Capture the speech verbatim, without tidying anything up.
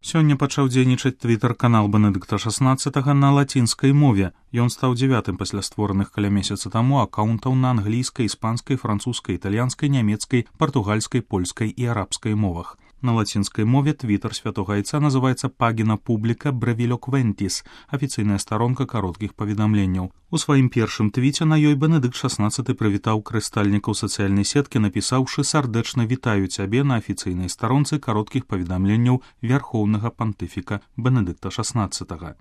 Сёння пачаў дзейнічаць твітар-канал Бенедыкта шаснаццатага на лацінскай мове. Ён стаў дзявятым пасля створаных каля месяца таму акаунтаў на англійскай, іспанскай, французскай, італьянскай, нямецкай, партугальскай, польскай і арабскай мовах. На лацінскай мове твітар святога айца называецца Пагіна Публіка Бревілоквентіс, афіцыйная старонка кароткіх паведамленняў. У сваім першым твіце на ёй Бенедыкт шаснаццаты прывітаў карыстальнікаў сацыяльнай сеткі, напісаўшы «Сардэчна вітаю цябе» на афіцыйнай старонцы кароткіх паведамленняў вярхоўнага пантыфіка Бенедыкта шаснаццатага.